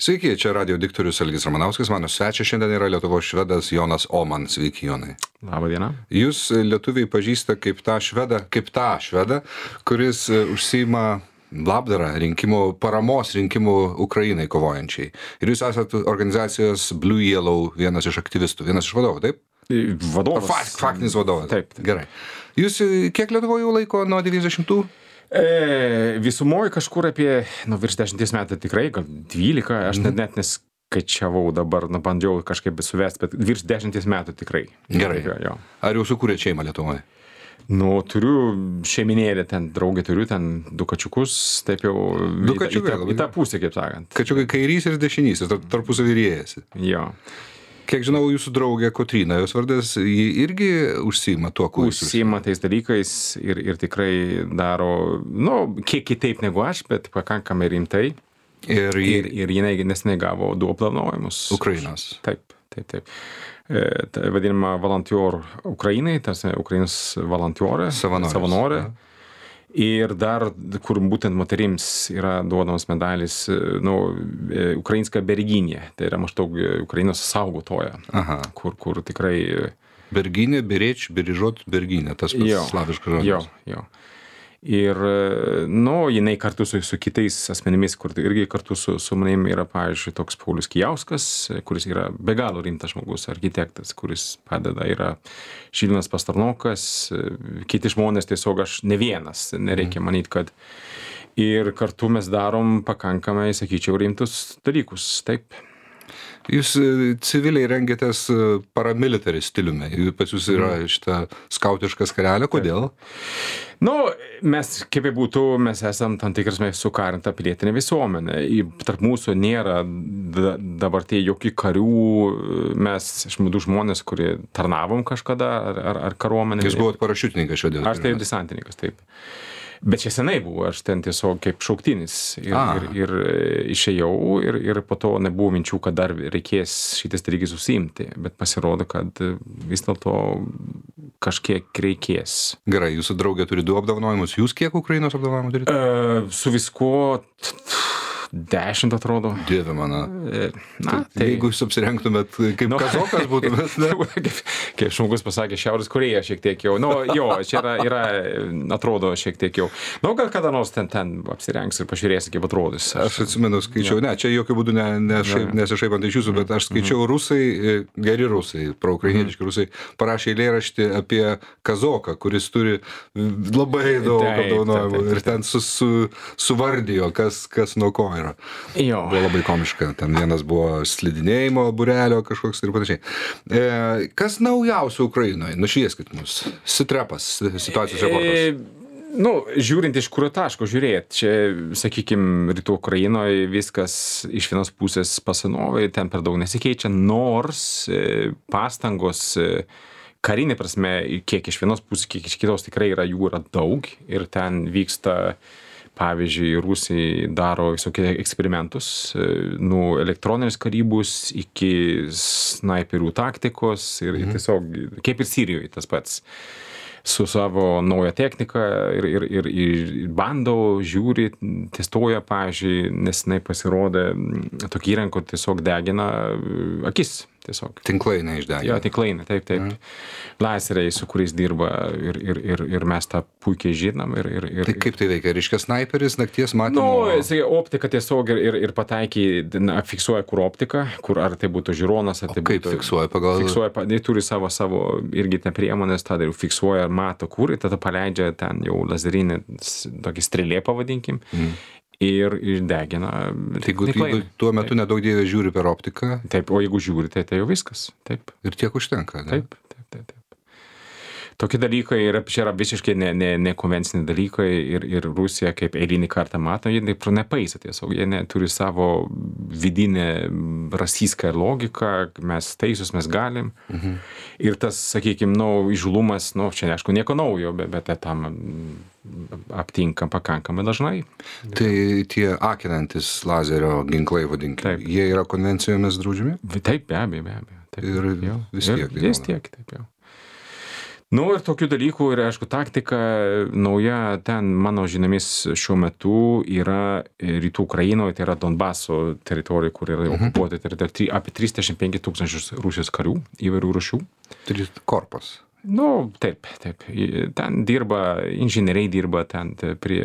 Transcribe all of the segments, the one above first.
Sveiki, čia radio diktorius Algis Ramanauskas, mano svečias šiandien yra Lietuvos švedas Jonas Oman. Sveiki, Jonai. Labą dieną. Jūs lietuviai pažįsta kaip tą švedą, kuris užsiima labdarą paramos rinkimų Ukrainai kovojančiai. Ir jūs esate organizacijos Blue Yellow vienas iš aktyvistų, vienas iš vadovų, taip? Vadovas. Faktinis vadovas. Taip. Gerai. Jūs kiek Lietuvoje jau laiko nuo 90-ų? Visumoje kažkur apie, virš 10 metų tikrai, gal 12, aš net neskaičiavau dabar, bandžiau kažkaip suvesti, bet virš 10 metų tikrai. Gerai. Jo. Ar jau sukūrėte šeimą Lietuvoje? Turiu šeiminėlį, ten draugį turiu, ten 2 kačiukus, taip jau į tą pusę, kaip sakant. Kačiukai kairys ir dešinysis, tarpusavy riejasi. Jo. Kiek žinau, jūsų draugė Kotryna, jos vardas, ji irgi užsiima tuo, kuo jūs užsiima tais dalykais ir tikrai daro, kiek kitaip negu aš, bet pakankamai rimtai. Ir jinai neseniai gavo 2 apdovanojimus. Ukrainos. Taip. Tai vadinama Volunteer Ukrainai, tas Ukrainos volunteerė, savanorė. Ir dar, kur būtent moterims yra duodamas medalis, ukrainska berginė, tai yra maždaug Ukrainos saugotoja, kur tikrai... Berginė, bereč, berižot, berginė, tas pats slaviškas žodis. Jo. Ir, jinai kartu su kitais asmenimis, kur irgi kartu su manim yra, pavyzdžiui, toks Paulius Kijauskas, kuris yra be galo rimtas žmogus, architektas, kuris padeda, yra Žilvinas Pastarnokas, kiti žmonės, tiesiog aš ne vienas, nereikia manyti, kad ir kartu mes darom pakankamai, sakyčiau, rimtus dalykus, taip. Jūs civiliai rengiatės paramilitary stiliumi, pas jūs yra šitą skautišką skarelę, kodėl? Mes, kaip būtų, mes esam tam tikras sukarinta pilietinė visuomenė. Tarp mūsų nėra dabar tai jokių karių, mes išmūdų žmonės, kurie tarnavom kažkada ar kariuomenė. Jūs buvot parašiutininkas šiandien? Aš tai desantininkas, taip. Bet čia senai buvo, aš ten tiesiog kaip šauktinis ir išėjau ir po to nebuvo minčių, kad dar reikės šitas dalykais užsiimti, bet pasirodo, kad vis dėlto kažkiek reikės. Gerai, jūsų draugė turi 2 apdovanojimus, jūs kiek Ukrainos apdovanojimų turite? Su viskuo 10 atrodo. Dieve mano. Jeigu jūs apsirengtumėt kaip kazokas būtumėt, ne? Kaip žmogus pasakė, Šiaurės Korėja šiek tiek jau. Čia yra, atrodo šiek tiek jau. Gal kada nors ten apsirengs ir pažiūrėsi, kaip atrodys. Aš atsimenu, skaičiau, čia jokių būdų nesišaipant iš jūsų, bet aš skaičiau rusai, geri rusai, proukrainietiški rusai, parašė eilėraštį apie kazoką, kuris turi labai daug apdovanojimų ir ten suvardijo, kas nuo ko yra. Jo. Buvo labai komiška. Ten vienas buvo slidinėjimo būrelio kažkoks ir panašiai. Kas naujausio Ukrainoje? Nušvieskit mus. Sitrepas, situacijos reportas. Žiūrint iš kurio taško žiūrėt, čia, sakykime, rytų Ukrainoje viskas iš vienos pusės pasinovė, ten per daug nesikeičia, nors pastangos karinė prasme, kiek iš vienos pusės, kiek iš kitos tikrai jų yra daug ir ten vyksta. Pavyzdžiui, Rusai daro visokie eksperimentus, elektroninės karybos iki snaiperių taktikos ir tiesiog, kaip ir Sirijoje tas pats, su savo naują techniką ir bando, žiūri, testuoja, pavyzdžiui, nesenai pasirodė tokį įrankį, kur tiesiog degina akis. Tiesiog. Tinklainė išdegina. Jo, tinklainė, taip. Laseriai, su kuriais dirba ir mes tą puikiai žinom. Tai kaip tai veikia? Reiškia snaiperis, nakties matymo? Optika tiesiog ir pataikiai, fiksuoja kur optika, kur ar tai būtų žiūronas, ar tai būtų... Kaip fiksuoja pagal? Jie turi savo irgi priemonės, tada jau fiksuoja ar mato kur, ir tada paleidžia ten jau lazerinį, tokį strėlė pavadinkim. Ir degina. Jeigu tuo metu nedaug dievė žiūri per optiką. Taip, o jeigu žiūri, tai jau viskas. Taip. Ir tiek užtenka, ne? Taip. Tokie dalykai čia yra visiškai nekonvenciniai dalykai ir Rusija kaip eilinį kartą mato, jie nepaisa tiesiog, jie turi savo vidinę rasistą logiką, mes teisus, mes galim. Ir tas, sakykime, įžūlumas, čia aišku nieko naujo, bet tam aptinkam pakankamai dažnai. Tai tie akinantis lazerio ginklai, vadinkim, jie yra konvencijomis draudžiami? Taip, be abejo. Ir vis tiek. Vis tiek, taip jau. Nu ir tokių dalykų, ir aišku, taktika nauja ten, mano žiniomis, šiuo metu yra rytų Ukrainoje, tai yra Donbaso teritorija, kur yra okupuota, tai yra apie 35 000 Rusijos karių įvairių rūšių. Korpus. Nu, taip. Ten dirba, inžinieriai dirba ten prie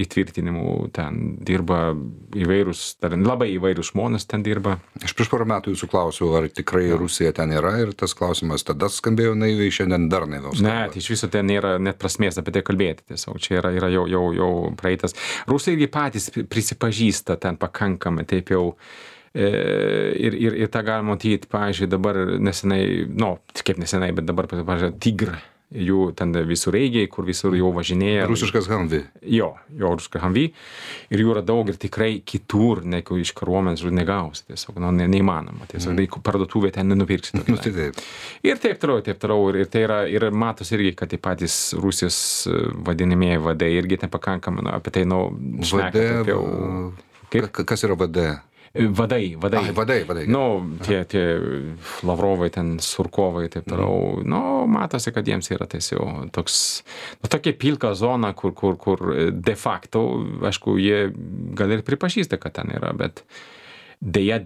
įtvirtinimų, ten dirba įvairūs, labai įvairūs žmonės ten dirba. Aš prieš porą metų jūsų klausiau, ar tikrai Rusija ten yra, ir tas klausimas tada skambėjo naiviai, šiandien dar naiviau skamba. Ne, tai iš viso ten nėra net prasmės apie tai kalbėti, tiesiog čia yra jau praeitas. Rusai irgi patys prisipažįsta ten pakankamai, taip jau. Ir tą galima matyti, pavyzdžiui, dabar nesenai, kaip nesenai, bet dabar, pavyzdžiui, Tigr, jų ten visureigiai, kur visur jau važinėja. Rusiškas Humvee. Jo, rusiškas Humvee. Ir jų yra daug ir tikrai kitur, negu iš kariuomenės negausi, tiesiog, neįmanoma. Tiesiog parduotuvė ten nenupirksi. Ir taip toliau. Ir tai yra, ir matos irgi, kad tai patys Rusijos vadinamieji vadai irgi nepakankamai, apie tai, šneka apie... Kas yra VD? Vadai. Tie Lavrovai, ten Surkovai, taip toliau. Matosi, kad jiems yra tiesiog toks, tokia pilka zona, kur de facto, aišku, jie gal ir pripažįsta, kad ten yra, bet deja,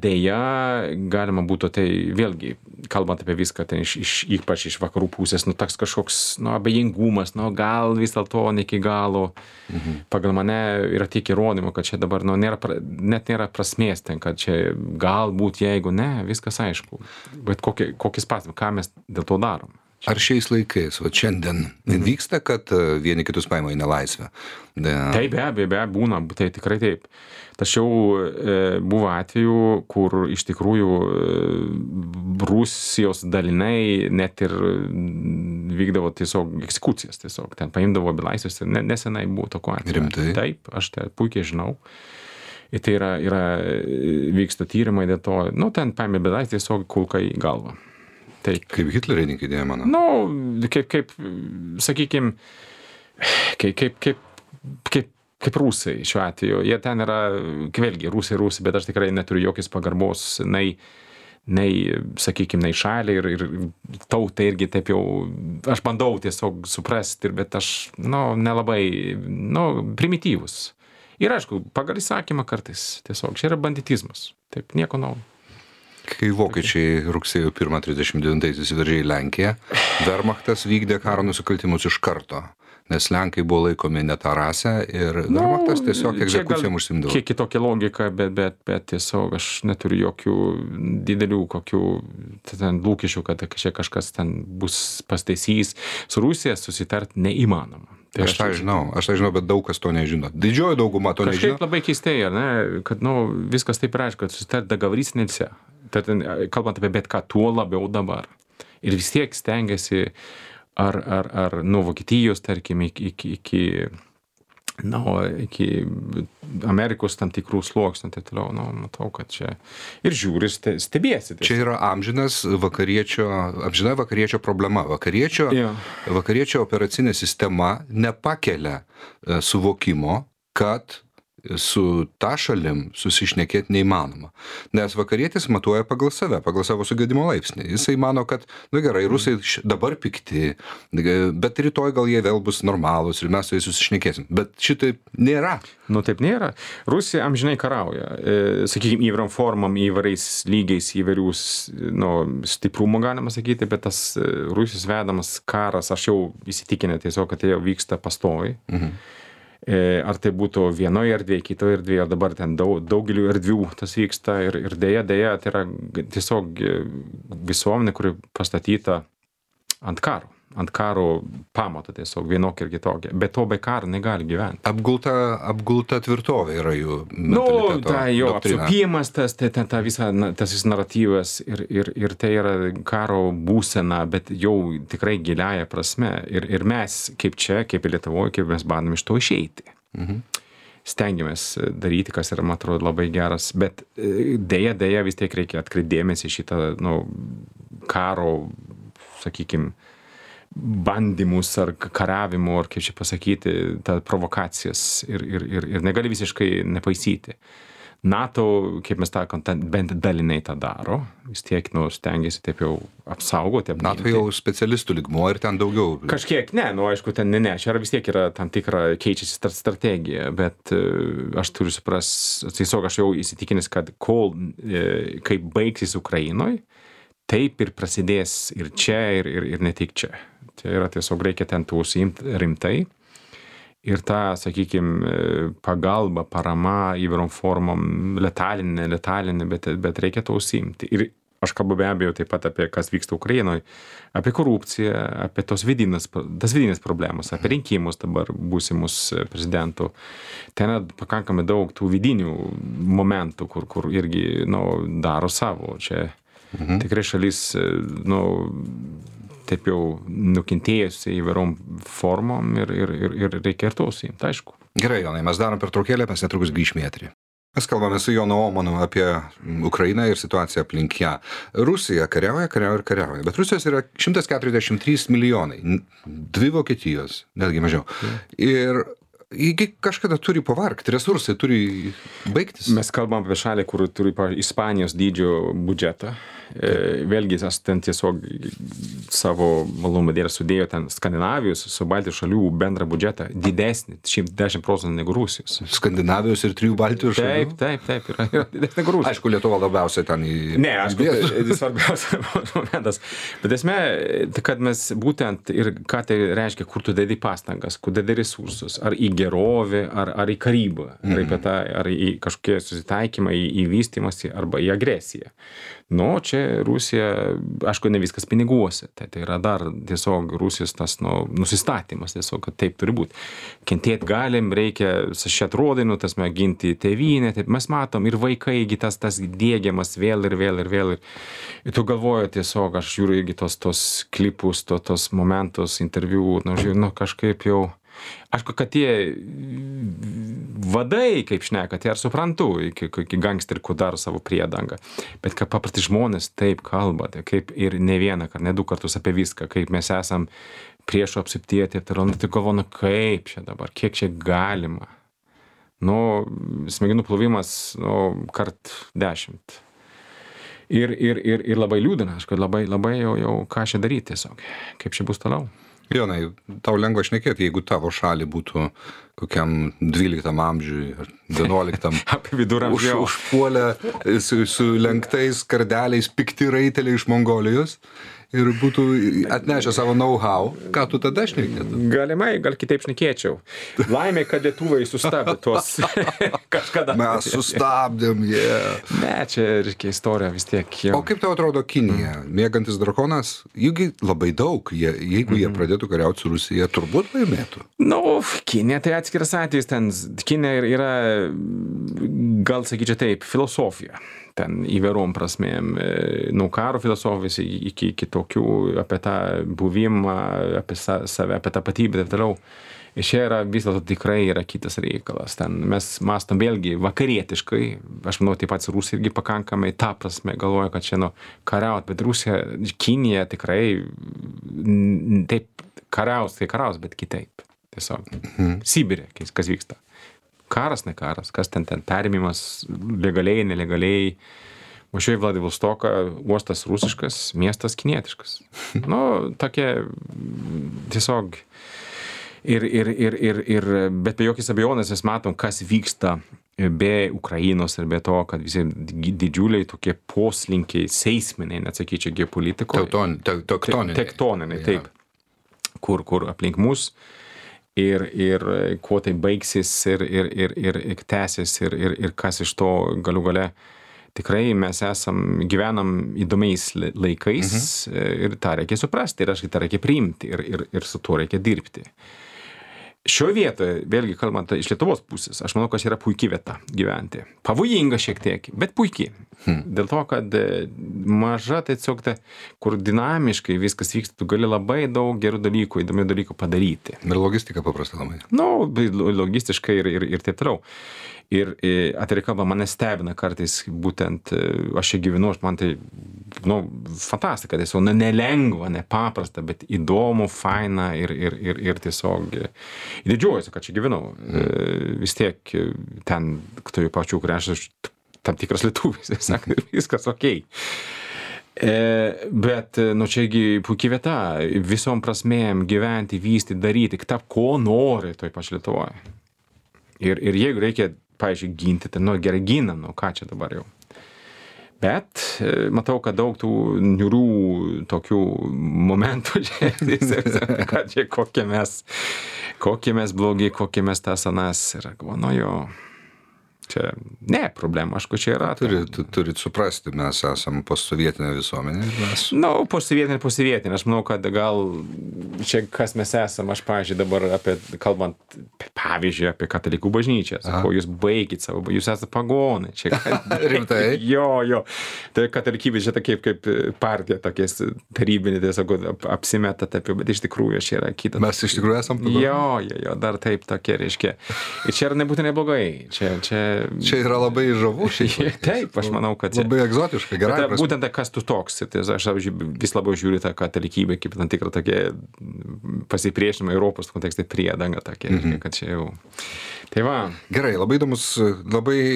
galima būtų, tai vėlgi, kalbant apie viską, tai ypač iš vakarų pusės, toks kažkoks, abejingumas, gal vis dėlto ne iki galo. Pagal mane yra tiek įrodymų, kad čia dabar, net nėra prasmės ten, kad čia galbūt, jeigu ne, viskas aišku. Bet kokis pasimas, ką mes dėl to darom? Ar šiais laikais, šiandien vyksta, kad vieni kitus paima į nelaisvę? Tai be abejo, būna, tai tikrai taip. Tačiau buvo atvejų, kur iš tikrųjų Rusijos daliniai net ir vykdavo tiesiog eksekucijas, tiesiog ten paimdavo belaisvius, nesenai buvo tokio atveju. Rimtai? Taip, aš tai puikiai žinau. Ir tai yra vyksta tyrimai dėl to, ten paėmė belaisvį tiesiog kulka į galvą. Taip. Kaip hitlerininkai dėjo, mano? Kaip sakykime, kaip rusai šiuo atveju. Jie ten yra, vėlgi, rusai, bet aš tikrai neturiu jokios pagarbos, nei sakykime, nei šaliai ir tautai irgi taip jau, aš bandau tiesiog suprasti, bet aš, nelabai, primityvus. Ir aišku, pagal įsakymą kartais, tiesiog, čia yra banditizmas. Taip, nieko naujo. Kai vokiečiai rugsėjo 1-39 įsiveržė į Lenkiją, Wehrmachtas vykdė karo nusikaltimus iš karto, nes Lenkai buvo laikomi ne tą rasę ir Wehrmachtas tiesiog egzekucijom užsiimdavo. Kiek kitokia logika, bet tiesiog aš neturiu jokių didelių kokių lūkesčių, kad čia kažkas ten bus pastaisys. Su Rusija susitart neįmanoma. Tai aš tą žinau, bet daug kas to nežino. Didžioji dauguma to nežino. Kažkaip labai keistai, kad viskas taip reiškia, kad susitart договориться нельзя. Tad, kalbant apie bet ką, tuo labiau dabar. Ir vis tiek stengiasi ar nuo Vokietijos, tarkim, iki Amerikos tam tikrų sluoksnių, tai toliau, matau, kad čia ir žiūri, stebėsi. Čia yra amžina vakariečio problema. Vakariečio operacinė sistema nepakelia suvokimo, kad su ta šalim susišnekėti neįmanoma. Nes vakarietis matuoja pagal save, pagal savo sugedimo laipsnį. Jisai mano, kad, gerai, rusai dabar pikti, bet rytoj gal jie vėl bus normalūs ir mes su jais susišnekėsim. Bet šitaip nėra. Taip nėra. Rusija amžinai karauja. Sakykime, įvairiom formom, įvairiais lygiais, įvairius stiprumo galima sakyti, bet tas Rusijos vedamas karas, aš jau įsitikinę tiesiog, kad tai jau vyksta pastoviai. Ar tai būtų vienoje erdvėje, kitoje erdvėje, ar dabar ten daugeliu erdvių tas vyksta ir dėja, tai yra tiesiog visuomenė, kuri pastatyta ant karo pamato tiesiog vienokia ir kitokia. Bet to be karo negali gyventi. Apgulta tvirtovė yra jų mentaliteto doktrina. Apsupimas, tas naratyvas ir tai yra karo būsena, bet jau tikrai giliaja prasme. Ir mes, kaip Lietuvoje, kaip mes bandom iš to išeiti. Stengiamės daryti, kas yra, man atrodo, labai geras, bet dėja vis tiek reikia atkreipdėmėsi šitą karo, sakykime, bandymus ar kariavimų, ar kaip čia pasakyti, tą provokacijas ir negali visiškai nepaisyti. NATO, kaip mes sakom, bent dalinai tą daro, vis tiek stengiasi taip jau apsaugoti. NATO jau specialistų lygmuo ir ten daugiau. Kažkiek, aišku, ten ne, čia vis tiek yra tam tikra keičiasi strategija, bet aš turiu tiesiog aš jau įsitikinęs, kad kai baigsis Ukrainoje, taip ir prasidės ir čia, ir ne tik čia. Tai yra tiesiog reikia ten užsiimti rimtai. Ir ta, sakykime, pagalba, parama įvairiom formom, letalinė, bet reikia to užsiimti. Ir aš kalbu be abejo taip pat apie kas vyksta Ukrainoje, apie korupciją, apie tas vidinės problemas, apie rinkimus dabar būsimus prezidentų. Ten yra pakankamai daug tų vidinių momentų, kur irgi daro savo. Čia tikrai šalis, taip jau nukentėjusi įvairiom formom ir reikia ir to užsiimti, aišku. Gerai, Jonai, mes darom pertraukėlę, mes netrukus grįšime į eterį. Mes kalbame su Jonu Omanu apie Ukrainą ir situaciją aplink ją. Rusija kariauja, bet Rusijos yra 143 milijonai, 2 Vokietijos, netgi mažiau. Ir kažkada turi pavargti, resursai turi baigtis. Mes kalbam apie šalį, kur turi Ispanijos dydžio biudžetą. Vėlgi, aš ten tiesiog savo malumo dėlį sudėjo ten Skandinavijos su Baltijos šalių bendrą biudžetą didesnį, 10% negu Rusijos. Skandinavijos ir 3 Baltijos šalių? Taip, yra didesnė negu Rusijos. Aišku, Lietuva labiausiai ten Ne, aišku, tai svarbiausias momentas. Bet esmė, kad mes būtent ir ką tai reiškia, kur tu dedi pastangas, kur dedi resursus, ar į gerovę, ar į karybą, ar į kažkokie susitaikymą, į vystymąsi arba į agresiją. Čia Rusija, aišku, ne viskas piniguose, tai yra dar tiesiog Rusijos tas nusistatymas, tiesiog, kad taip turi būti. Kentėti galim, reikia sašėt rodinų, tas ginti tėvynę, taip mes matom ir vaikai, tas diegiamas vėl. Ir tu galvoji tiesiog, aš žiūriu irgi tos klipus, tos momentus, interviu, kažkaip jau. Aišku, kad tie vadai, kaip šneka, tai ar suprantu, iki gangsterikų daro savo priedangą. Bet kad paprasti žmonės taip kalba, tai kaip ir ne vieną, ne 2 kartus apie viską, kaip mes esam priešo apsiptėti, tai galvoju, kaip čia dabar, kiek čia galima. Smegenų plovimas, kart 10. Ir labai liūdina, aišku, labai jau ką čia daryti tiesiog, kaip čia bus toliau. Jonai, tau lengva šnekėti, jeigu tavo šalį būtų kokiam 12 amžiui ar 11 apie viduramžių užpuolę su lenktais kardeliais pikti raiteliai iš Mongolijos ir būtų atnešę savo know-how, ką tu tada šnekėtum? Galimai, gal kitaip šnekėčiau. Laimė, kad lietuvai sustabdė tuos kažkada. Mes sustabdėm, Ne, čia reikia istorija vis tiek. O kaip tau atrodo Kinija? Mėgantis drakonas, juk labai daug, jeigu jie pradėtų kariauti su Rusija, turbūt laimėtų. Kinija tai atskiras atvejis, ten Kinija yra, gal sakyčiau taip, filosofija. Ten įvairiom prasmėm, nuo karo filosofijos iki tokių apie tą buvimą, apie save, apie tapatybę ir taip toliau. Ir čia yra vis dėlto tikrai yra kitas reikalas. Ten mes mąstom vėlgi vakarietiškai, aš manau, taip pat Rusija irgi pakankamai tą prasme galvoja, kad čia kariaut, bet Rusija, Kinija tikrai taip kariaus, bet kitaip. Tiesiog. Sibirė, kas vyksta. Karas, ne karas, kas ten perimimas legaliai, nelegaliai. Važiuoju į Vladivostoką, uostas rusiškas, miestas kinietiškas. Tokie tiesiog bet be jokios abejonės mes matom, kas vyksta be Ukrainos ir be to, kad visi didžiuliai tokie poslinkiai, seisminiai, net sakyčiau, geopolitikoje. Tektoniniai, taip. Kur aplink mus. Ir kuo tai baigsis ir tęsis ir kas iš to galų gale. Tikrai mes gyvenam įdomiais laikais ir tą reikia suprasti ir tą reikia priimti ir su tuo reikia dirbti. Šioje vietoje, vėlgi kalbant iš Lietuvos pusės, aš manau, kad yra puikia vieta gyventi. Pavojinga šiek tiek, bet puikiai. Dėl to, kad maža, tai tiesiog kur dinamiškai viskas vyksta, tu gali labai daug gerų dalykų, įdomių dalykų padaryti. Ir logistika paprasta labai. Logistiškai ir taip toliau. Ir atvirai kalbant, mane stebina kartais būtent, aš čia gyvenu, man tai kaip, fantastika, tiesiog, nelengva, nepaprasta, bet įdomu, faina ir tiesiog didžiuojuosi, kad čia gyvenau. Vis tiek ten, tojų pačių, kur aš tam tikras lietuvis, sako, viskas okei. Bet, čiagi puikiai vieta, visom prasmėm gyventi, vystyti, daryti, tap, ko nori toj pačioj Lietuvoje. Ir jeigu reikia, pavyzdžiui, ginti, tai, gerai ginam, ką čia dabar jau. Bet matau, kad daug tų niūrių tokių momentų, kad čia kokie mes blogi, kokie mes tas anas. Ir jo. Čia ne problema, aišku, čia yra. Turit suprasti, mes esam postsovietinė visuomenė. Postsovietinė. Aš manau, kad gal čia kas mes esam, aš, pavyzdžiui, dabar kalbant, pavyzdžiui, apie katalikų bažnyčią. Sakau, jūs baigit savo, jūs esate pagonai. Rimtai? Jo. Tai katalikybė čia kaip partija, tokies tarybinė, tiesiog apsimetat apie, bet iš tikrųjų čia yra kita. Mes iš tikrųjų esam pagonai? Jo, dar taip tokie, reiškia. Ir čia yra nebūtinai blogai. Čia yra labai žavu šiaip. Taip, aš manau, kad čia. Labai egzotiška, gerai. Būtent kas tu toks. Aš vis labiau žiūriu tą katalikybę kaip tam tikrą tokia pasipriešinimą Europos kontekstai priedanga tokia, kad čia jau. Tai va. Gerai, labai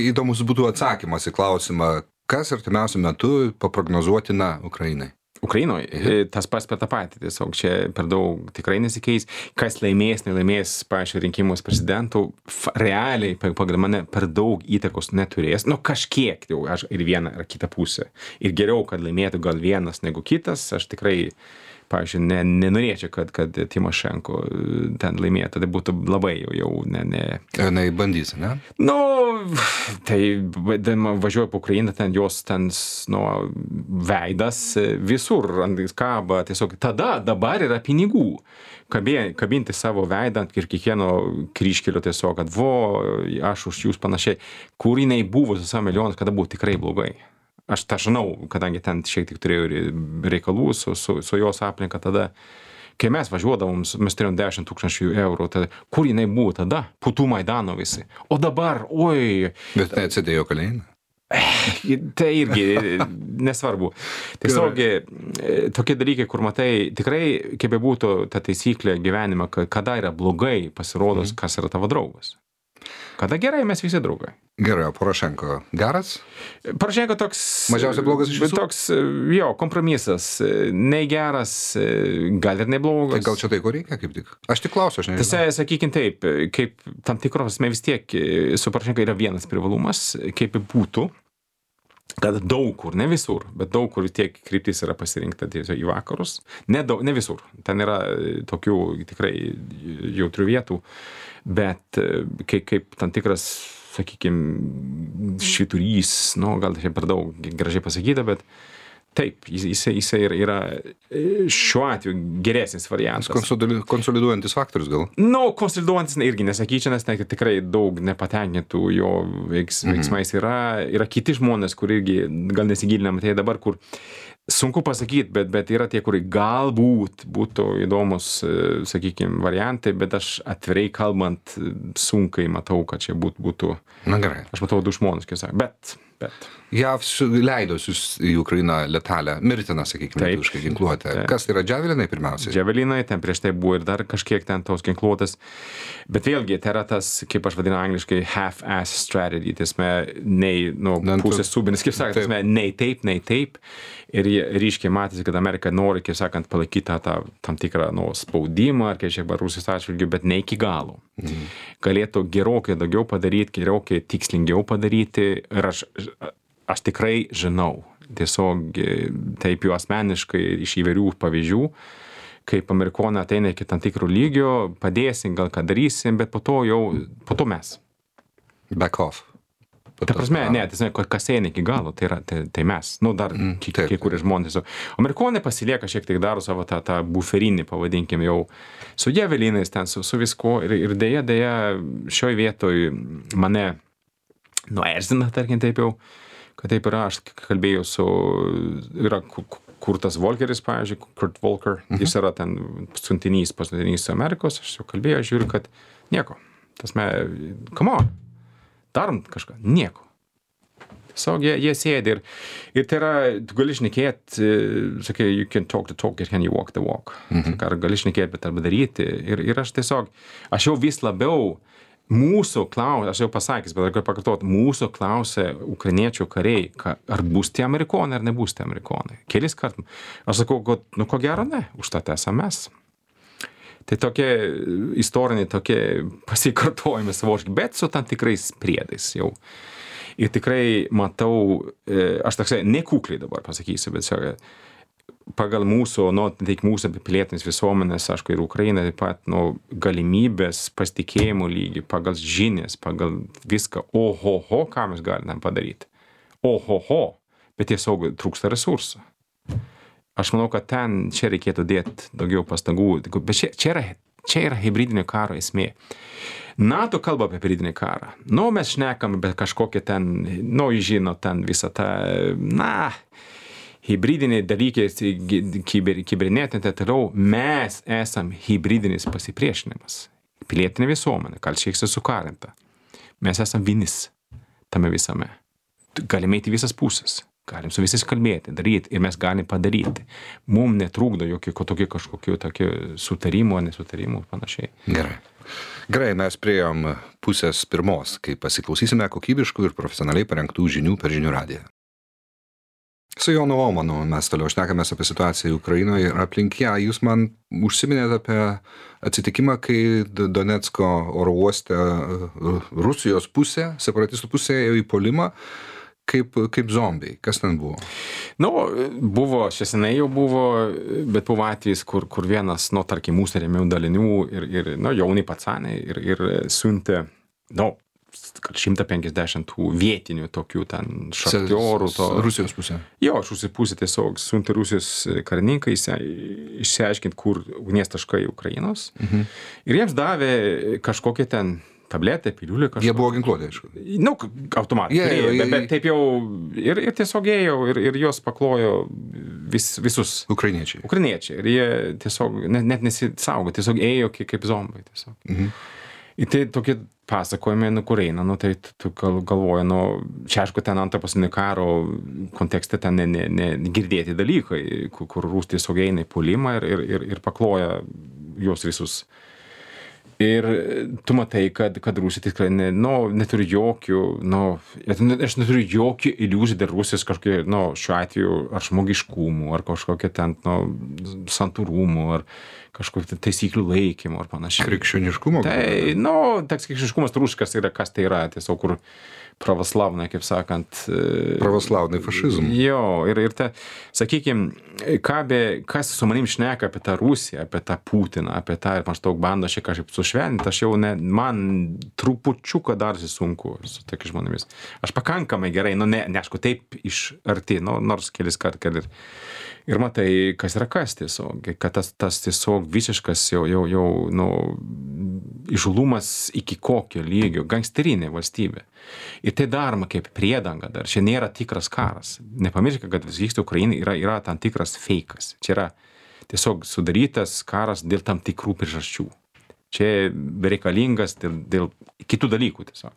įdomus būtų atsakymas į klausimą, kas artimiausiu metu paprognozuotina Ukrainai. Ukrainoje tas pats per tą patį, tiesiog čia per daug tikrai nesikeis. Kas laimės, nelaimės, pavyzdžiui, rinkimus prezidentų, realiai pagal mane per daug įtakos neturės. Kažkiek jau, aš ir vieną, ir kitą pusę. Ir geriau, kad laimėtų gal vienas negu kitas, aš tikrai, pavyzdžiui, nenorėčiau, kad Timošenko ten laimėtų. Tai būtų labai jau ne. Jinai bandys, ne? Tai važiuoju po Ukrainą, ten jos veidas visur ant kaba, tiesiog dabar yra pinigų. Kabinti savo veidą ir kiekvieno kryžkelio tiesiog, kad aš už jūs panašiai, kur jinai buvo su savo milijonus, kada buvo tikrai blogai. Aš tą žinau, kadangi ten šiek tiek turėjau reikalų su jos aplinka tada. Kai mes važiuodavom, mes turėjom 10 000 eurų, tada, kur jinai buvo tada? Putų Maidano visi. O dabar, oi. Bet neatsidėjo kalėjimą. Tai irgi nesvarbu. Tiesiog tokie dalykai, kur matai, tikrai, kaip būtų ta taisyklė gyvenime, kada yra blogai pasirodos, kas yra tavo draugas. Kada gerai, mes visi draugai. Gerai, o Porošenko geras? Porošenko toks... Mažiausiai blogas iš visų? Toks, kompromisas. Nei geras, gal ir neblogas. Tai gal čia tai, ko reikia, kaip tik? Aš tik klausiu, aš nežinau. Tiesa, sakykim taip, kaip tam tikros, vis tiek su Porošenko yra vienas privalumas, kaip būtų, kad daug kur, ne visur, bet daug kur tiek kryptis yra pasirinkta tiesiog į vakarus. Ne visur. Ten yra tokių tikrai jautrių vietų. Bet kaip tam tikras, sakykime, švyturys, gal čia per daug gražiai pasakyta, bet taip, jisai yra šiuo atveju geresnis variantas. Konsoliduojantis faktorius gal? Konsoliduojantis irgi nesakyčiau, nes tikrai daug nepatenkintų jo veiksmais yra. Yra kiti žmonės, kur irgi gal nesigilinam, tai dabar, kur sunku pasakyti, bet yra tie, kurie galbūt būtų įdomus, sakykime, variantai, bet aš atvirai kalbant sunkiai matau, kad čia būtų. Na gerai. Aš matau du žmonės, kaip sakė, bet. JAV leido į Ukrainą letalę, mirtiną, sakykime, lietuvišką ginkluotę. Kas tai yra džiavelinai pirmiausiai? Džiavelinai, ten prieš tai buvo ir dar kažkiek ten tos ginkluotės. Bet vėlgi, tai yra tas, kaip aš vadinu angliškai, half-ass strategy, tiesme, nei pusės subinis, kaip sakant, nei taip. Ir ryškiai matėsi, kad Amerika nori, kaip sakant, palaikyti tą tam tikrą spaudimą, ar kažkiek Rusijos atžvilgiu, bet ne iki galo. Galėtų gerokai daugiau padaryti, gerokai tikslingiau padaryti. Ir aš tikrai žinau, tiesiog taip jau asmeniškai iš įvairių pavyzdžių, kaip amerikonai ateina iki tam tikrų lygio, padėsim, gal ką darysim, bet po to mes. Back off. Ta prasme, kas eina iki galo, tai mes. Dar kai kurie žmonės. Amerikonai pasilieka šiek tiek daro savo tą buferinį, pavadinkim jau, su javelinais ten, su visko. Ir dėja, šioj vietoj mane erzina, tarkim taip jau, kad taip yra, aš kalbėjau yra Kurtas Volkeris, pavyzdžiui, Kurt Volker, jis yra ten pasiuntinys Amerikos, aš jau kalbėjau, žiūriu, kad nieko. Come on. Darom kažką. Nieko. Tiesiog jie sėdi ir tai yra, tu gali šnekėt, sakai, you can talk the talk, can you walk the walk. Ar gali šnekėt, bet arba daryti. Ir aš tiesiog, aš jau vis labiau mūsų klausia, aš jau pasakęs, bet aš galiu pakartoti, mūsų klausia ukrainiečių kariai, ar bus tie amerikonai, ar nebus tie amerikonai. Kelis kartus. Aš sakau, kad, nu ko gero ne, užtat esame mes. Tai tokie istoriniai, tokie pasikartojami savoški, bet su tam tikrais priedais jau. Ir tikrai matau, aš toksai nekukliai dabar pasakysiu, bet pagal mūsų, tik mūsų pilietinės visuomenės, aišku, ir Ukraina taip pat, galimybės, pasitikėjimo lygį, pagal žinias, pagal viską, ohoho, ką mes galime padaryti. Ohoho, bet tiesiog trūksta resursų. Aš manau, kad čia reikėtų dėti daugiau pastangų, bet čia yra hibridinio karo esmė. NATO kalba apie hibridinį karą. Mes šnekam, bet kažkokie ten, žino, ten visą tą, hibridiniai dalykai, kibernetinė, tai toliau, mes esam hibridinis pasipriešinimas. Pilietinė visuomenė, kalčiai sukarinta. Mes esam vienis tame visame. Galime eiti visas pusės. Galim su visais kalbėti, daryti ir mes galim padaryti. Mums netrūkdo kažkokių tokių sutarimų, nesutarimų ir panašiai. Gerai, mes priėjom pusės pirmos, kai pasiklausysime kokybiškų ir profesionaliai parengtų žinių per žinių radiją. Su Jonu Omanu mes toliau šnekamės apie situaciją Ukrainoje ir aplink ją. Jūs man užsiminėte apie atsitikimą, kai Donecko oro uoste Rusijos pusė, separatistų pusė ėjo į puolimą. Kaip zombiai. Kas ten buvo? Buvo, šiandien jau buvo, bet buvo atvejis, kur vienas, tarkim, mūsų rėmėjų dalinių ir jauni pacanai ir siuntė, 150 tų vietinių tokių ten šachtiorų. Rusijos pusė? Jo, iš Rusijos pusė tiesiog siuntė Rusijos karininkai išsiaiškinti, kur ugnies taškai Ukrainos. Ir jiems davė kažkokie ten tabletė, piliulė kažkokia. Jie buvo ginkluoti, aišku. Automatai. Bet taip jau ir tiesiog ėjo ir jos paklojo visus. Ukrainiečiai. Ir jie tiesiog net nesisaugo, tiesiog ėjo kaip zombai. Ir tai tokie pasakojimai, kur eina, tai tu galvoji, čia aišku, ten antro pasaulinio karo kontekste ten negirdėti dalykai, kur Rusija tiesiog eina į puolimą ir pakloja juos visus. Ir tu matai, kad Rusija tikrai neturi jokių, aš neturiu jokių iliuzijų dėl Rusijos kažkokie, šiuo atveju, ar žmogiškumų, ar kažkokie ten, santūrumų, ar kažkokių taisyklių laikymų, ar panašiai. Krikščioniškumo? Tai, toks krikščioniškumas rusiškas yra, kas tai yra, tiesiog kur pravoslavnai, kaip sakant. Pravoslavnai fašizm. Jo, ir sakykime, kas su manim šneka apie tą Rusiją, apie tą Putiną, apie tą ir maždaug bando šiek kažkaip sušvelninti, aš jau man trupučiuką darsi sunku su tokiais žmonėmis. Aš pakankamai gerai, neaišku, taip iš arti, nors kelis kartus ir matai, kas yra kas tiesiog, kad tas tiesiog visiškas jau įžūlumas iki kokio lygio, gangsterinė valstybė. Ir tai daroma kaip priedanga dar. Čia nėra tikras karas. Nepamirškite, kad vyksta Ukrainai yra tam tikras feikas. Čia yra tiesiog sudarytas karas dėl tam tikrų priežasčių. Čia bereikalingas dėl kitų dalykų tiesiog.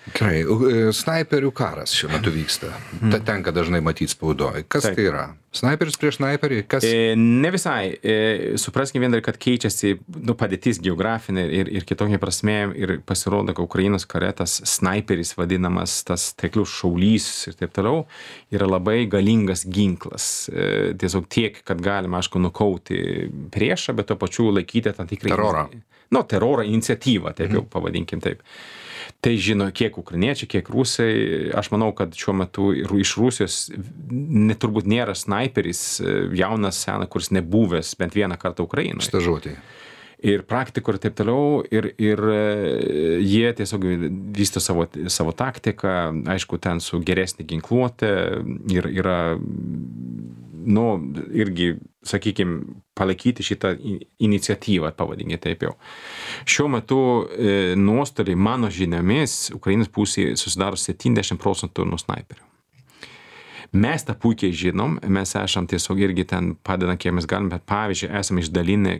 Gerai, snaiperių karas šiuo metu vyksta. Ta tenka dažnai matyti spaudoje. Kas tai yra? Snaiperis prieš snaiperį? Ne visai. Supraskime vien dar, kad keičiasi padėtis geografinė ir kitokia prasme ir pasirodo, kad Ukrainos kare tas snaiperis vadinamas, tas taiklius šaulys ir taip toliau, yra labai galingas ginklas. Tiesiog tiek, kad galima, aišku, nukauti priešą, bet to pačiu laikyti tam tikrą terorą. Terorą iniciatyvą, taip jau pavadinkim taip. Tai žino kiek ukrainiečiai, kiek rusai. Aš manau, kad šiuo metu iš Rusijos turbūt nėra snaiperis jaunas, senas, kuris nebuvęs bent vieną kartą Ukrainoje. Stažuotė. Ir praktikų ir taip toliau. Ir jie tiesiog vysto savo taktiką, aišku, ten su geresnė ginkluotė ir yra, irgi, sakykime, palaikyti šitą iniciatyvą, pavadinkime taip jau. Šiuo metu nuostoliai, mano žiniomis, Ukrainos pusėje susidaro 70% nuo snaiperių. Mes tą puikiai žinom, mes esam tiesiog irgi ten padedam, kiek mes galim, bet pavyzdžiui, esame išdalinę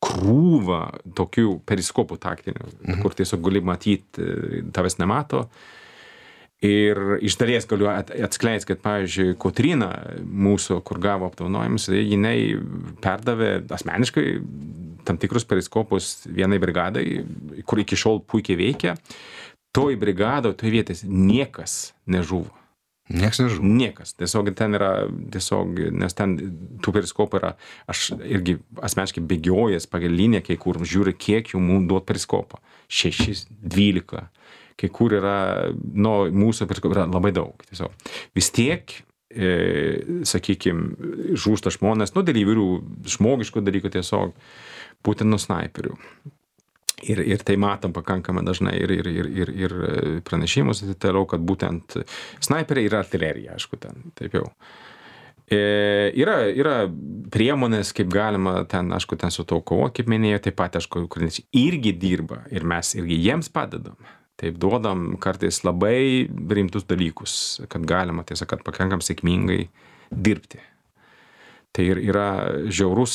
krūvą tokių periskopų taktinių, kur tiesiog gali matyti, tavęs nemato. Ir iš dalies galiu atskleisti, kad, pavyzdžiui, Kotryna mūsų, kur gavo apdovanojimus, jinai perdavė asmeniškai tam tikrus periskopus vienai brigadai, kur iki šiol puikiai veikia. Toj brigadoj, toj vietės niekas nežuvo. Niekas nežuvo. Niekas. Tiesiog ten yra, nes ten tų periskopų yra, aš irgi asmeniškai bėgiojęs pagal liniją, kai kur žiūri, kiek jų mums duot periskopą. 6, 12. Kai kur yra, mūsų periskopų yra labai daug. Tiesiog. Vis tiek, sakykime, žūsta žmonės, dėl įvairių žmogiškų dalykų tiesiog, būtent nuo snaiperių. Ir tai matom pakankamai dažnai ir pranešimus, toliau, kad būtent snaiperiai yra artilerija, aišku, ten, taip jau. Yra priemonės, kaip galima ten, aišku, ten su to kovoti, kaip minėjau, taip pat, aišku, ukrainiečiai irgi dirba ir mes irgi jiems padedam. Taip duodam kartais labai rimtus dalykus, kad galima, tiesa, kad pakankam sėkmingai dirbti. Tai yra žiaurus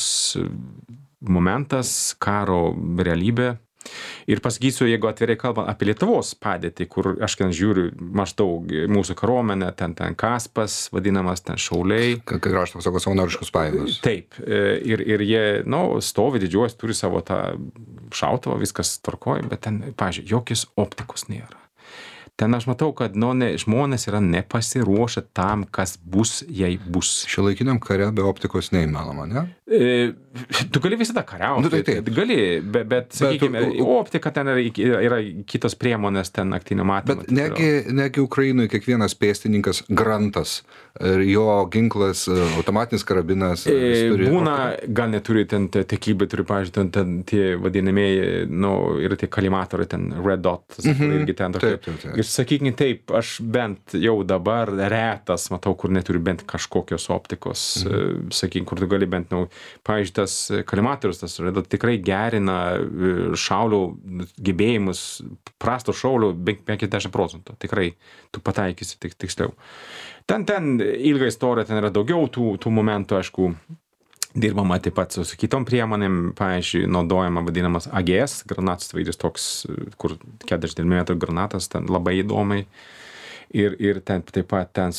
momentas, karo realybė. Ir pasakysiu, jeigu atvirai kalbant apie Lietuvos padėtį, kur aš ten žiūriu maždaug mūsų kariuomenę, ten Kaspas, vadinamas ten šauliai. Krašto apsaugos savanoriškos pajėgos. Taip, ir jie, stovi, didžiuojas, turi savo tą šautuvą, viskas tvarkoja, bet ten, pavyzdžiui, jokios optikos nėra. Ten aš matau, kad žmonės yra nepasiruošę tam, kas bus, jei bus. Šiuolaikiniam kare be optikos neįmanoma, ne? Tu gali visada kariauti. Taip. Gali, bet sakykime, optika ten yra kitos priemonės, ten naktinio matymo. Bet negi Ukrainoje kiekvienas pėstininkas grantas ir jo ginklas, automatinis karabinas. Būna, gal neturi ten tekybai, turi, pavyzdžiui, ten tie vadinamieji, yra tie kalimatoriai, ten red dot, irgi ten tokie. Taip. Ir sakykime taip, aš bent jau dabar retas matau, kur neturi bent kažkokios optikos, sakykime, kur tu gali bent, pavyzdžiui, tas kalimatorius, tas tikrai gerina šaulių gebėjimus, prasto šaulio 50%. Tikrai tu pataikysi tiksliau. Ten ilga istorija, ten yra daugiau tų momentų, aišku, dirbama taip pat su kitom priemonėm, pavyzdžiui, naudojama vadinamas AGS, granatas vaidis toks, kur 40 mm granatas, ten labai įdomiai. Ir ten taip pat ten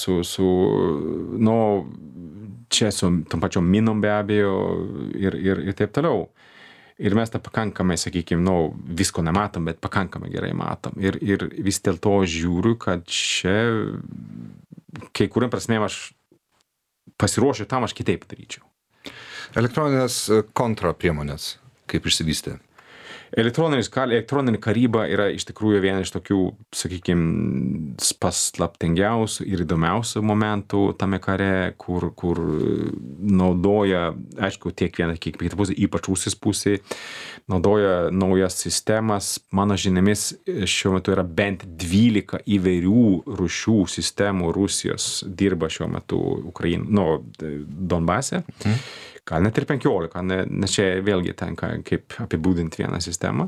čia su tom pačiom minom be abejo ir taip toliau. Ir mes tą pakankamai, sakykime, visko nematom, bet pakankamai gerai matom. Ir vis dėlto žiūriu, kad čia kai kuriam prasmėm aš pasiruošiu tam, aš kitaip daryčiau. Elektroninės kontrapriemonės, kaip išsivystė? Elektroninė karyba yra iš tikrųjų viena iš tokių, sakykime, paslaptingiausių ir įdomiausių momentų tame kare, kur naudoja, aišku, tiek viena, kiek kita pusė, ypač Rusijos pusė, naudoja naujas sistemas. Mano žiniomis šiuo metu yra bent 12 įvairių rūšių sistemų Rusijos dirba šiuo metu Donbase. Gal net ir 15, nes čia vėlgi tenka kaip apibūdinti vieną sistemą.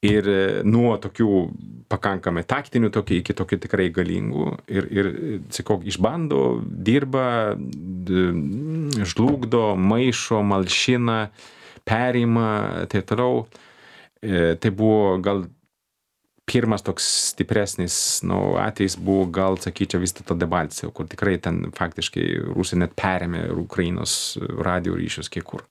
Ir nuo tokių pakankamai taktinių iki tokių tikrai galingų. Ir sakau, išbando, dirba, žlugdo, maišo, malšina, perima, tai toliau. Tai buvo gal pirmas toks stipresnis atvejis buvo, gal sakyčiau, vis dėlto Debalcevo, kur tikrai ten faktiškai Rusija net perėmė Ukrainos radio ryšius kiek kur.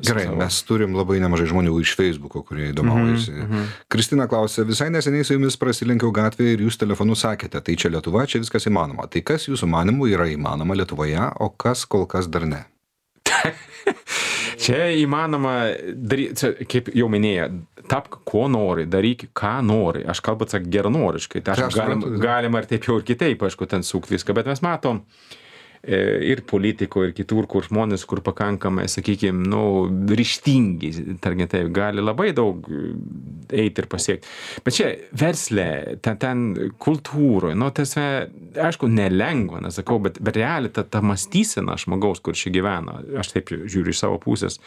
Gerai, mes turim labai nemažai žmonių iš Facebooko, kurie įdomaujasi. Kristina klausė, visai neseniai su jumis prasilenkiau gatvėje ir jūs telefonu sakėte, tai čia Lietuva, čia viskas įmanoma. Tai kas jūsų manimų yra įmanoma Lietuvoje, o kas kol kas dar ne? Čia įmanoma daryti, kaip jau minėjau, tapk ko nori, daryk ką nori. Aš kalbu geranoriškai. Tai galima ir taip jau ir kitaip, aišku, ten sukti viską, bet mes matom ir politikoje, ir kitur, kur žmonės, kur pakankamai, sakykime, ryžtingi, tarkim, taip, gali labai daug eiti ir pasiekti. Bet čia versle, ten kultūroje, aišku, nelengva, nesakau, bet realiai ta mąstysena žmogaus, kur čia gyvena, aš taip žiūriu iš savo pusės,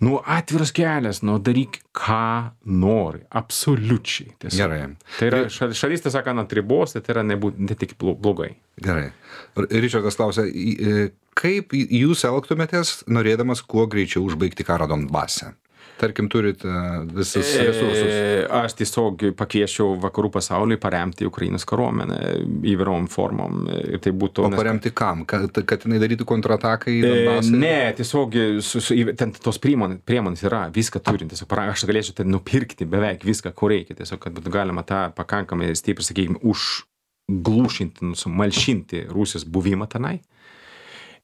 atviras kelias, daryk ką nori, absoliučiai. Gerai. Tai yra šalis, tai sakant, ant ribos, tai yra ne tik blogai. Gerai. Ričardas klausia, kaip jūs elgtumėtės, norėdamas kuo greičiau užbaigti karą Donbase? tarkim, turit visus resursus? Aš tiesiog pakviečiau vakarų pasaulį paremti Ukrainos kariuomenę įvairiom formom. Ir tai būtų... O paremti kam? Kad jinai darytų kontrataką į Donbasą? Ne, tiesiog ten tos priemonės yra, viską turint. Tiesiog aš galėčiau ten nupirkti beveik viską, ko reikia. Tiesiog, kad būtų galima tą pakankamai stipriai, sakykime, užglušinti, malšinti Rusijos buvimą tenai.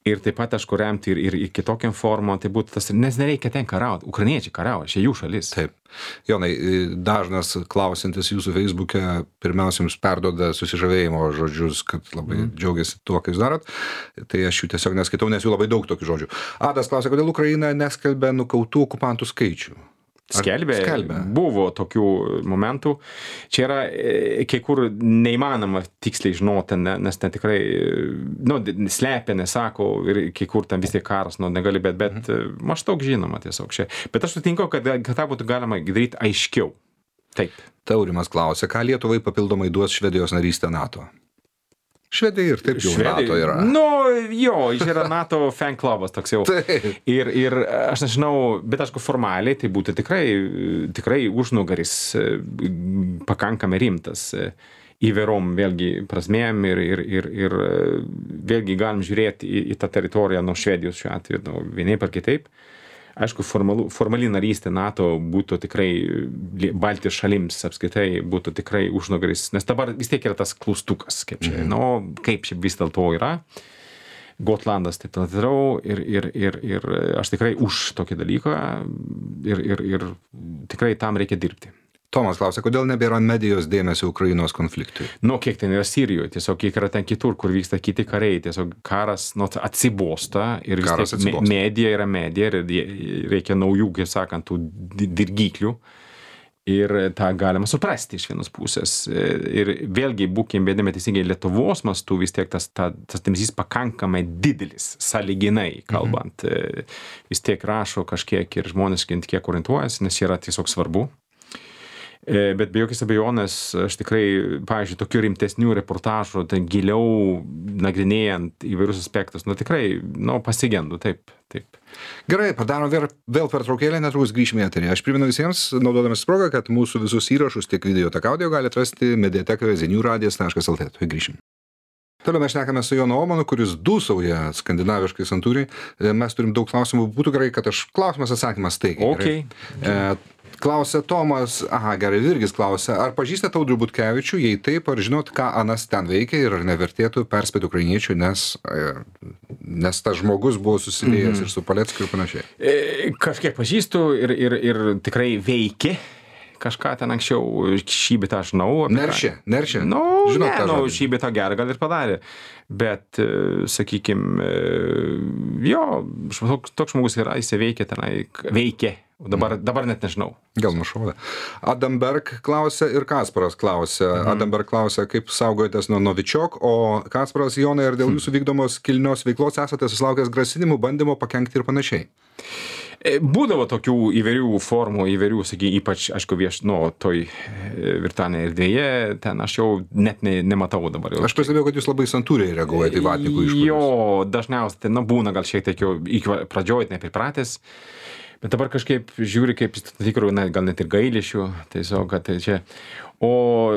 Ir taip pat, aišku, remti ir kitokiam formom, tai būtų tas, nes nereikia ten kariauti. Ukrainiečiai kariauja, čia jų šalis. Taip. Jonai, dažnas klausantis jūsų Facebook'e pirmiausia jums perduoda susižavėjimo žodžius, kad labai džiaugiasi tuo, ką jūs darot. Tai aš jų tiesiog neskaitau, nes jų labai daug tokių žodžių. Adas klausia, kodėl Ukraina neskelbia nukautų okupantų skaičių? Skelbė. Buvo tokių momentų. Čia yra kai kur neįmanoma tiksliai žinoti, nes ten tikrai, slepia, nesako ir kai kur ten vis tiek karas, negali, bet maždaug žinoma tiesiog čia. Bet aš sutinku, kad tą būtų galima daryti aiškiau. Taip. Taurimas klausia, ką Lietuvai papildomai duos Švedijos narystė NATO? Švedija ir taip jau NATO yra. Jis yra NATO fan klubas toks jau. Ir aš nežinau, bet aišku formaliai tai būtų tikrai užnugaris pakankamai rimtas įvairom vėlgi prasmėm ir vėlgi galim žiūrėti į tą teritoriją nuo Švedijos šiuo atveju, vienaip ar kitaip. Aišku, formali narystė NATO būtų tikrai Baltijos šalims apskritai būtų tikrai užnugaris, nes dabar vis tiek yra tas klaustukas, kaip čia, kaip čia vis dėlto yra. Gotlandas taip toliau ir aš tikrai už tokį dalyką ir tikrai tam reikia dirbti. Tomas klausia, kodėl nebėra medijos dėmesio Ukrainos konfliktui? Kiek ten yra Sirijoje, tiesiog kiek yra ten kitur, kur vyksta kiti kariai, tiesiog karas atsibosta ir vis tiek medija yra medija ir reikia naujų, kaip sakant, tų dirgiklių. Ir tą galima suprasti iš vienos pusės. Ir vėlgi, būkim bėdami teisingai Lietuvos mastu, vis tiek tas dėmesys pakankamai didelis, sąlyginai kalbant. Vis tiek rašo kažkiek ir žmonės kiek orientuojasi, nes yra tiesiog svarbu. Bet be jokios abejonės, aš tikrai, pavyzdžiui, tokių rimtesnių reportažų, ten giliau nagrinėjant įvairius aspektus, tikrai, pasigendu, taip. Gerai, padarom vėl pertraukėlę, netrukus grįšime į eterį. Aš primenu visiems, naudodamas progą, kad mūsų visus įrašus, tiek video, tiek audio galite rasti mediatekoje ziniuradijas.lt. Tuoj grįšim. Toliau mes šnekame su Jonu Omanu, kuris dūsauja skandinaviškai santūriai. Mes turim daug klausimų, būtų gerai, kad aš klausimas atsakymas taigiai. Okay. Klausia Tomas, gerai, Virgis klausia, ar pažįstate Audrių Butkevičių, jei taip, ar žinot, ką anas ten veikia ir ar nevertėtų perspėti ukrainiečių, nes tas žmogus buvo susiliejęs ir su Paleckiu ir panašiai. Kažkiek pažįstu ir tikrai veikia. Kažką ten anksčiau šybitą aš žinau. Neršė. Šybitą gerą gal ir padarė. Bet, sakykime, toks žmogus yra, jis veikia tenai, veikia. Dabar net nežinau. Gal nušovė. Adamberg klausia ir Kasparas klausia. Adamberg klausia, kaip saugojatės nuo Novičiok, o Kasparas, Jonai, ar dėl jūsų vykdomos kilnios veiklos esate susilaukęs grasinimų, bandymo pakenkti ir panašiai? Būdavo tokių įvairių formų, ypač, aišku, toj virtualioje erdvėje, ten aš jau net nematau dabar. Aš pastebėjau, kad jūs labai santūriai reaguojate į vatnikų išpuolius. Dažniausiai, būna gal šiek tiek jau pradžioj nepripratęs, bet dabar kažkaip žiūri, kaip tikrų, gal net ir gailėšių, tiesiog, kad tai čia. O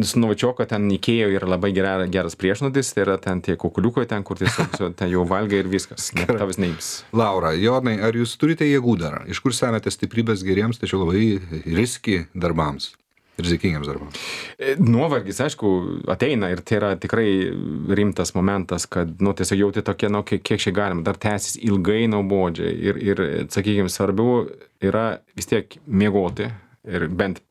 su Novičioko ten Ikėjo yra labai geras priešnodis, tai yra ten tie kukuliukai ten, kur tiesiog ten jau valgai ir viskas, net tavas neims. Laura, Jonai, ar jūs turite jėgų dar? Iš kur semėte stiprybės geriems, tačiau labai rizikingiems darbams? Nuovargis, aišku, ateina ir tai yra tikrai rimtas momentas, kad, tiesiog jauti tokie, kiek čia galima, dar tęsis ilgai nuobodžiai ir sakykime, svarbiau yra vis tiek miegoti ir bent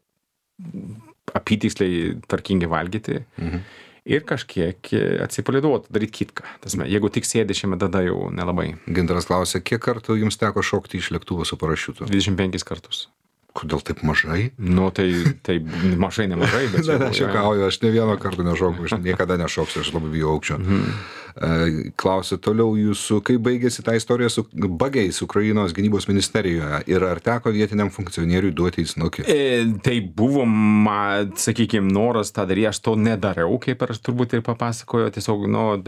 apytiksliai tvarkingai valgyti ir kažkiek atsipalaiduoti, daryti kitką. Jeigu tik sėdi šiame, tada jau nelabai. Gintaras klausia, kiek kartų jums teko šokti iš lėktuvo su parašiutu? 25 kartus. Kodėl taip mažai? Tai mažai, nemažai, bet... Aš juokauju, aš ne vieno karto nešoku, aš niekada nešoksiu, aš labai bijau aukščio. Klausia toliau jūsų, kaip baigėsi ta istorija su bagiais Ukrainos gynybos ministerijoje ir ar teko vietiniam funkcionieriui duoti į snukį? Tai buvo, sakykime, noras tą daryti, aš to nedariau, kaip aš turbūt ir papasakoju, tiesiog,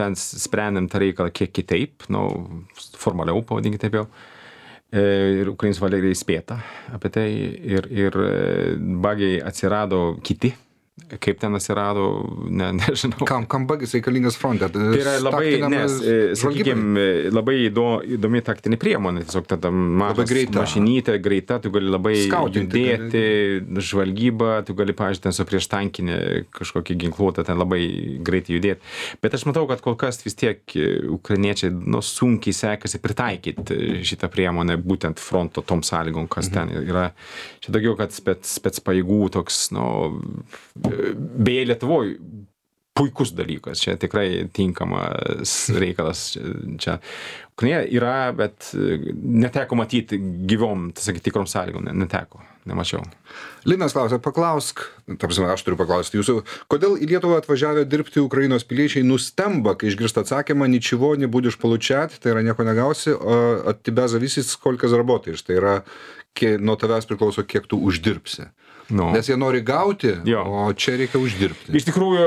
bent sprendėm tą reikalą kiek kitaip, formaliau, pavadinkite taip jau. Ir Ukrainos valdžia įspėta apie tai ir bagiai atsirado kiti. Kaip ten atsirado, nežinau. Kam bagis reikalingas fronte? Tai yra labai, labai įdomi taktinė priemonė, tiesiog tada mašinytė, greita, tu gali labai judėti, žvalgybą, tu gali, pavyzdžiui, ten su prieš tankinį kažkokį ginkluotą, ten labai greitai judėti. Bet aš matau, kad kol kas vis tiek ukrainiečiai sunkiai sekasi pritaikyti šitą priemonę būtent fronto tom sąlygom, kas ten yra. Čia daugiau, kad spec pajėgų toks, beje, Lietuvoje puikus dalykas, čia tikrai tinkamas reikalas. Čia Ukraina yra, bet neteko matyti gyvom, tikrom sąlygom, neteko, nemačiau. Linas klausia, paklausk, aš turiu paklausti jūsų, kodėl į Lietuvą atvažiavę dirbti Ukrainos piliečiai nustemba, kai išgirsta atsakymą, ničего не будешь получать, tai yra nieko negausi, o от тебя зависит сколько заработаешь, tai yra nuo tavęs priklauso, kiek tu uždirbsi. Nes jie nori gauti, o čia reikia uždirbti. Iš tikrųjų,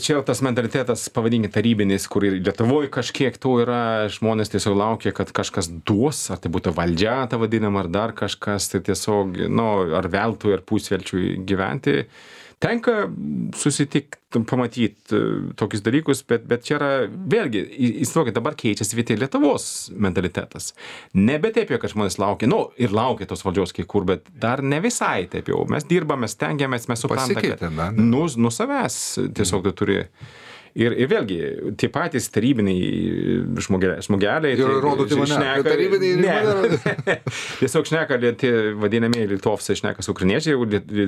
čia tas mentalitetas, pavadinkime, tarybinis, kur ir Lietuvoje kažkiek to yra, žmonės tiesiog laukia, kad kažkas duos, ar tai būtų valdžia, ta vadinama, ar dar kažkas, tai tiesiog, ar veltui, ar pusvelčiui gyventi. Tenka susitikti, pamatyti tokius dalykus, bet čia yra, vėlgi, įsivaizduokit, dabar keičiasi vietoj Lietuvos mentalitetas. Nebe taip jau, kad žmonės laukia, ir laukia tos valdžios kai kur, bet dar ne visai taip jau. Mes dirbame, stengiamės, mes suprantame, kad nuo savęs tiesiog tu turi. Ir vėlgi, tie patys tarybiniai žmogeliai. Ir rodote mane, kad tarybiniai tiesiog šneka, tie vadinamieji litovsai šneka su ukrainiečiai,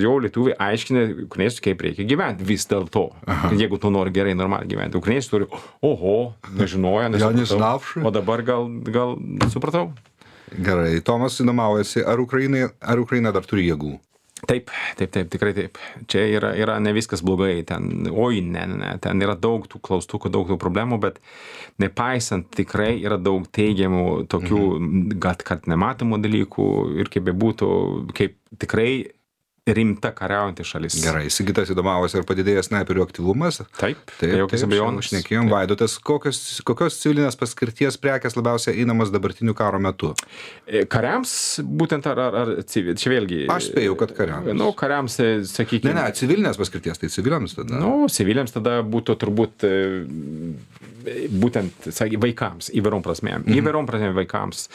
jau lietuviai aiškina ukrainiečiai, kaip reikia gyventi vis dėlto. Jeigu tu nori gerai, normaliai gyventi. Ukrainiečiai turi, nežinojo, nesupratau. O dabar gal supratau. Gerai, Tomas įdomaujasi, ar Ukraina dar turi jėgų? Taip, tikrai taip. Čia yra ne viskas blogai, ten yra daug tų klaustukų, daug tų problemų, bet nepaisant tikrai yra daug teigiamų tokių, kad nematomų dalykų ir kaip bebūtų, kaip tikrai rimta kariaujanti šalis. Gerai, Sigitas įdomavosi, ar padidėjęs snaiperių aktyvumas? Taip, jokios abejonės. Šnekėjom, Vaidotas, kokios civilinės paskirties prekės labiausiai einamas dabartiniu karo metu? Kariams, būtent ar civil, čia vėlgi. Aš spėjau, kad kariams. Kariams, sakykime. Ne, civilinės paskirties, tai civiliams tada. Civiliams tada būtų turbūt būtent, vaikams, įvairiom prasmėm. Įvairiom prasmėm vaikams.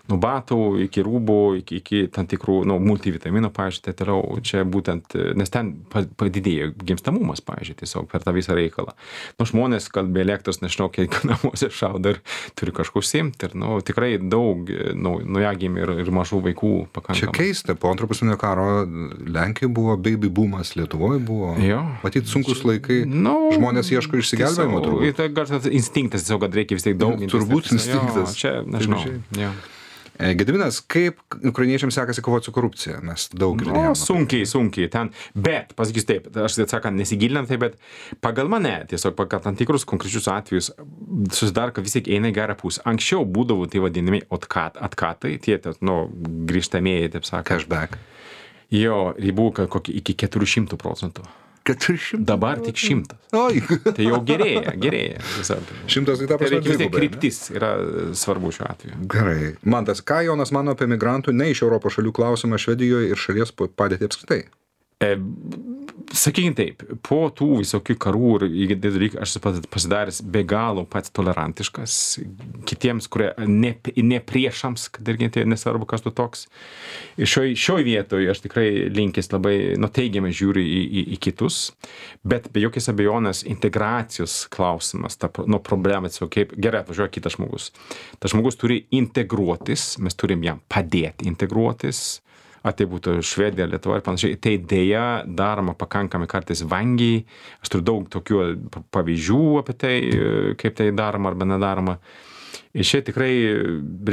Nuo batų iki rūbų, iki tam tikrų, multivitaminų, pavyzdžiui, tai toliau, čia būtent, nes ten padidėjo gimstamumas, pavyzdžiui, tiesiog per tą visą reikalą. Žmonės, kad be elektros, nežinau, kiek namuose šaudo ir turi kažką užsiimti, ir tikrai daug naujagimių ir mažų vaikų pakankamai. Čia keista, po antro pasaulinio karo Lenkijoje buvo baby boomas, Lietuvoje buvo, matyt, sunkus laikai, žmonės ieško išsigelbėjimo turbūt. Tai gal instinktas, tiesiog, kad reikia vis tiek daug. Turbūt instinktas. Čia, nežinau. Gediminas, kaip ukrainiečiams sekasi kovoti su korupcija? Mes daug girdėjome. Sunkiai ten, bet, pasakysiu taip, aš sakant, nesigilinant taip, bet pagal mane, tiesiog pagal tam tikrus konkrečius atvejus, susidaro, kad vis tiek eina į gerą pusę. Anksčiau būdavo tai vadinami atkatai, tie, grįžtamieji, taip sakant. Cashback. Ribų iki 400%. 400? Dabar tik 100. Tai jau gerėja. 100 tai ta prasme dvigubai. Kryptis yra svarbu šiuo atveju. Gerai. Mantas, ką Jonas mano apie migrantų ne iš Europos šalių klausimą Švedijoje ir šalies padėtį apskritai? Sakykime taip, po tų visokių karų ir dalykų aš pasidaręs be galo pats tolerantiškas kitiems, kurie ne priešams, kad irgi tai nesvarbu, kas tu toks. Ir šioj vietoje aš tikrai linkęs labai teigiamai žiūriu į kitus, bet be jokios abejonės integracijos klausimas, problema, kaip gerai atvažiuoja kitas žmogus. Tas žmogus turi integruotis, mes turim jam padėti integruotis. Ar tai būtų Švedija, Lietuva ir panašiai, tai dėja daroma pakankamai kartais vangiai. Aš turiu daug tokių pavyzdžių apie tai, kaip tai daroma arba nedaroma. Ir čia tikrai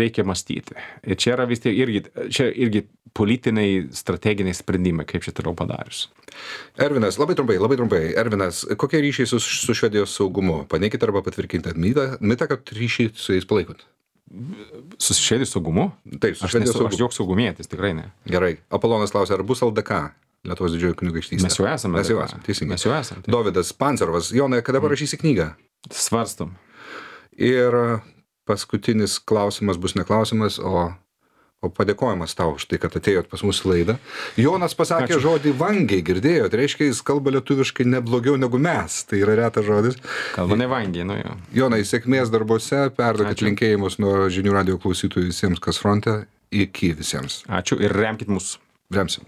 reikia mąstyti. Ir čia yra vis tiek irgi politiniai, strateginiai sprendimai, kaip čia toliau padarius. Ervinas, labai trumpai. Ervinas, kokie ryšiai su Švedijos saugumu? Paneikite arba patvirkinkite mitą, kad ryšiai su jais palaikot. Su Švedijos saugumu? Taip, su Švedijos saugumu. Aš joks saugumietis, tikrai ne. Gerai. Apolonas klausia, ar bus LDK, Lietuvos didžioji kunigaikštystė? Mes jau esame. Teisingai. Mes jau esame. Dovydas Pancerovas, Jonai, kada parašysi knygą? Svarstom. Ir paskutinis klausimas bus ne klausimas, o o padėkojimas tau už tai, kad atėjot pas mūsų laidą. Jonas pasakė žodį vangiai, girdėjot, reiškia, jis kalba lietuviškai neblogiau negu mes, tai yra retas žodis. Kalba ne vangiai, nu jo. Jonai, sėkmės darbuose, perduokit linkėjimus nuo žinių radijo klausytojų visiems, kas fronte, iki visiems. Ačiū ir remkit mus. Remsim.